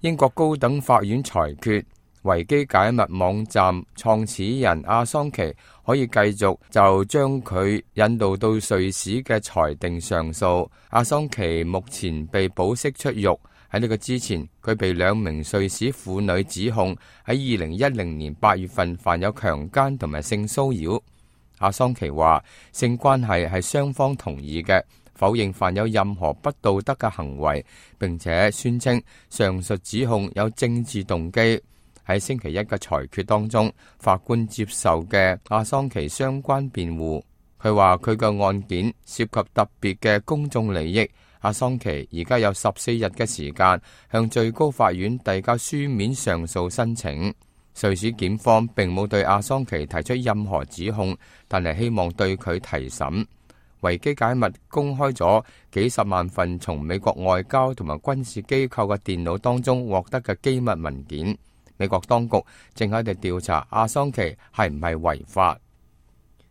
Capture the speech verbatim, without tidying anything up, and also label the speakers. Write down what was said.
Speaker 1: 英國高等法院裁決，維基解密網站創始人阿桑奇可以繼續就將佢引渡到瑞士嘅裁定上訴。阿桑奇目前被保釋出獄。喺呢個之前，佢被兩名瑞士婦女指控喺二零一零年八月份犯有強姦同埋性騷擾。阿桑奇話性關係係雙方同意嘅，否認犯有任何不道德嘅行為，並且宣稱上述指控有政治動機。喺星期一嘅裁決當中，法官接受嘅阿桑奇相關辯護，佢話佢嘅案件涉及特別嘅公眾利益。阿桑奇而家有十四日嘅時間向最高法院遞交書面上訴申請。瑞士檢方並冇對阿桑奇提出任何指控，但係希望對佢提審。維基解密公開咗幾十萬份從美國外交同埋軍事機構嘅電腦當中獲得嘅機密文件。美國當局正喺度調查阿桑奇係唔係違法。